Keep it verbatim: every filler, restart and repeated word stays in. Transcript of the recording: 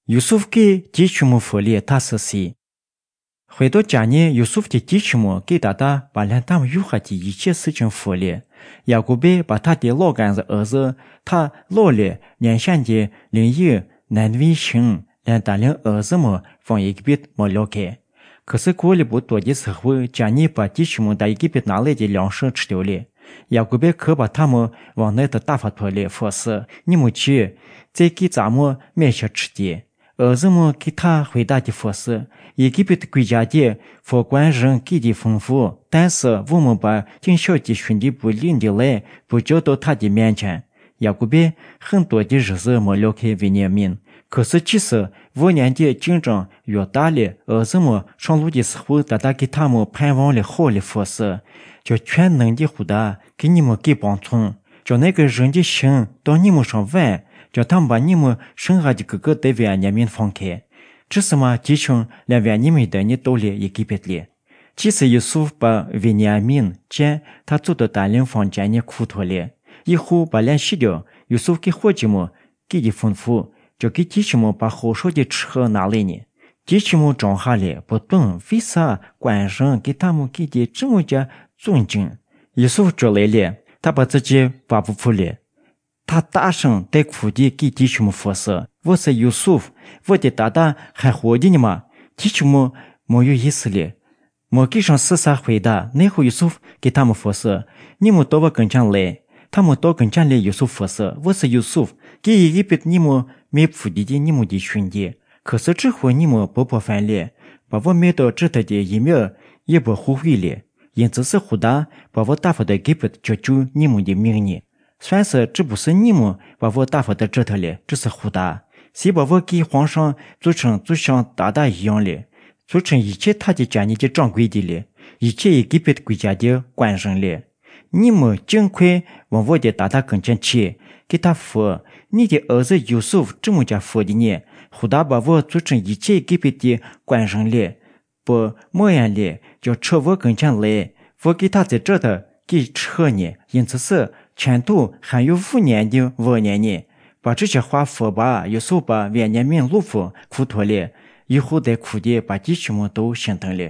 ཡུ་སུབ་ཀིས་ཀྱི་ཆུ་མུ་ཧྥུ་ལེ་ཐ་སི་སི། ཧོད་དོ་ཅ་ཉེ་ཡུ་སུབ་ཀྱི་ཀྱི་ཆུ་མུ་ཀིས་ད་ད་བ་ལྷན་ཐམ་ཡུ་ཧ་ཀྱི་ཡི་ཆེ་སི་ཆུང་ཧྥུ་ལེ། ཡ་ཀུབ་བེ་བ་ཐ་ཏེ་ལོ་གན་ཟི་འུ་ཟི་ཐ་ལོ་ལེ་ཉན་ཤན་གྱི་ལིང་ཡི་ནན་བི་ཤིང་ལན་ད་ལིང་འུ་ཟི་མུ་ཕོང་ཡི་གི་བིད་མོ་ལོ་ཁེ། ཁུ་སི་ཀོ་ལེ་བུ་དོ་གི་སི་ཧྥུ་ཅ་ཉེ་བ་ཀྱི་ཆུ་མུ་ད་ཡི་གི་བིད་ན་ལེ་གྱི་ལོང་ཤི་ཁྲི་ཏེའོ་ལེ། ཡ་ཀུབ་བེ་ཁུ་བ་ཐ་མུ་བང་ནེ་ཏི་ཏ་ཧྥ་ཐོ་ལེ་ཧྥུ་སི་ཉི་མུ་ཆི་ཙེ་ཀི་ཙ་མུ་མེ་ཤ་ཁྲི་ཏེ། འུ་ཟི་མུ་ཀིས་ཐ་ཧོད་ད་གི་ཧྥུ་སི་ཡི་གི་བིད་ཀུ་ཇ་གྱི་ཧྥུ་ཀོན་ཞིང་ཀིས་གྱི་ཕུང་ཧྥུ་ཏན་སི་བུ་མུ་བ་ཅིང་ཤོ་གྱི་ཤུན་གྱི་བུ་ལིང་གྱི་ལེ་བུ་ཅོ་དོ་ཐ་གྱི་མེན་ཆན། ཡ་ཀུབ་བེ་ཧིང་དོ་གི་ཞི་སི་མོ་ལོ་ཁེ་བི་ཉ་མིན། ཁུ་སི་ཆི་སི་བུ་ཉན་གྱི་ཅིང་ཀྲང་ཡོ་ད་ལེ་འུ་ཟི་མུ་ཤོང་ལུ་གྱི་སི་ཧྥུ་ད་ད་ཀིས་ཐ་མུ་ཕན་བོང་ལེ་ཧོ་ལེ་ཧྥུ་སི། ཅོ་ཁྱོན་ནང་གི་ཧུ་ད་ཀིས་ཉི་མུ་ཀིས་བོང་ཚུང་། ཅོ་ནེ་ཀི་ཞིང་གི་ཤིང་དོ་ཉི་མུ་ཤོང་བན། ཅོ་ཐམ་བ་ཉི་མུ་ཤིང་ཧ་གྱི་ཀུ་ཀུ་ཏེ་བི་ཉ་མིན་ཕོང་ཁེ། ཁྲི་སི་མ་ཀྱི་ཆུང་ལེ་བི་ཉ་མིན་དོ་ཉི་ཏོ་ལེ་ཡི་གི་བིད་ལེ། ཅི་སི་ཡུ་སུབ་བ་བི་ཉ་མིན་ཅན་ཐ་ཙུ་དོ་ད་ལིང་ཕོང་ཅན་ཉི་ཁུ་ཐོ་ལེ། ཡི་ཧུ་བ་ལན་ཤི་གྱོ་ཡུ་སུབ་ཀིས་ཧོ་ཅི་མུ་ཀིས་གྱི་ཕུང་ཧྥུ་ཅོ་ཀིས་ཀྱི་ཆུ་མུ་བ་ཧོ་ཧྲོ་གྱི་ཁྲི་ཧ་ན་ལེ་ཉི། ཀྱི་ཆུ་མུ་ཀྲོང་ཧ་ལེ་བུ་ཏུང་བི་ས་ཀོན་ཞིང་ཀིས་ཐ་མུ་ཀིས་གྱི་ཅི་མུ་ཅ་ཙུང་ཅིང་། ཡུ་སུབ་ཅོ་ལེ་ལེ་ཐ་བ་ཙི་ཅི་བ་བུ་ཕུ་ལེ། ཐ་ཏ་ཤང་ཏེ་ཁུ་གྱི་ཀིས་ཀྱི་ཆུ་མུ་ཧྥུ་སི་བོ་སི་ཡུ་སུབ་བོ་ཏེ་ད་ད་ཧན་ཧོ་གྱི་ཉི་མ་ཀྱི་ཆུ་མུ་མོ་ཡུ་ཡི་སི་ལེ། མོ་ཀིས་ཤང་སི་ས་ཧོད་ད་ནེ་ཧུ་ཡུ་སུབ་ཀིས་ཐ་མུ་ཧྥུ་སི་ཉི་མུ་ཏོ་བ་ཀུན་ཆང་ལེ། ཐ་མུ་ཏོ་ཀུན་ཆང་ལེ་ཡུ་སུབ་ཧྥུ་སི་བོ་སི་ཡུ་སུབ་ཀིས་ཡི་གི་བིད་ཉི་མུ་མེ་ཕུ་གྱི་གྱི་ཉི་མུ་གྱི་ཤུན་གྱི། ཁུ་སི་ཁྲི་ཧུ་ཉི་མུ་བུ་བོ་ཧྥན་ལེ། བ་བོ་མེ་ཏོ་ཁྲི་ཐ་གྱི་ཡི་མེ་ཡི་བུ་ཧུ་ཧུ་ལེ། ཡིན་ཙི་སི་ཧུ་ད་བ་བོ་ཏ་ཧྥ་དོ་གི་བིད་ཅོ་ཅུ་ཉི་མུ་གྱི་མིང་ཉི། སོན་སི་ཁྲི་བུ་སི་ཉི་མུ་བ་བོ་ཏ་ཧྥ་དོ་ཁྲི་ཐ་ལེ་ཁྲི་སི་ཧུ་ད། སི་བ་བོ་ཀིས་ཧོང་ཤང་ཙུ་ཁྲིང་ཙུ་ཤང་ད་ད་ཡོང་ལེ། ཙུ་ཁྲིང་ཡི་ཆེ་ཐ་གྱི་ཅ་ཉི་གྱི་ཀྲང་གུའི་གྱི་ལེ། ཡི་ཆེ་ཡི་གི་བིད་ཀུ་ཇ་གྱི་ཀོན་ཞིང་ལེ། ཉི་མུ་ཅིང་ཁུའི་བང་བོ་གྱི་ད་ད་ཀུན་ཆང་ཆི་ཀིས་ཐ་ཧྥུ། ཉི་གྱི་འུ་ཟི་ཡུ་སུབ་ཀྲི་མུ་ཅ་ཧྥུ་གྱི་ཉི། ཧུ་ད་བ་བོ་ཙུ་ཁྲིང་ཡི་ཆེ་ཡི་གི་བིད་ཀྱི་ཀོན་ཞིང་ལེ། བུ་མོ་ཡན་ལེ་ཅོ་ཁྲི་བོ་ཀུན་ཆང་ལེ། བོ་ཀིས་ཐ་ཙེ་ཁྲི་ཐ་ཀིས་ཁྲི་ཧ་ཉི། ཡིན་ཙི་སི་ཆན་ཐུ་ཧན་ཡུ་ཧྥུ་ཉན་གྱི་བོ་ཉན་ཉི། བ་ཁྲི་ཆ་ཧྭ་ཧྥུ་བ་ཡུ་སུབ་བ་བི་ཉ་མིན་ལུ་ཧྥུ་ཁུ་ཐོ་ལེ། ཡི་ཧུ་དེ་ཁུ་གྱི་བ་ཀྱི་ཆུ་མུ་ཏོ་ཤིན་ཐང་ལེ།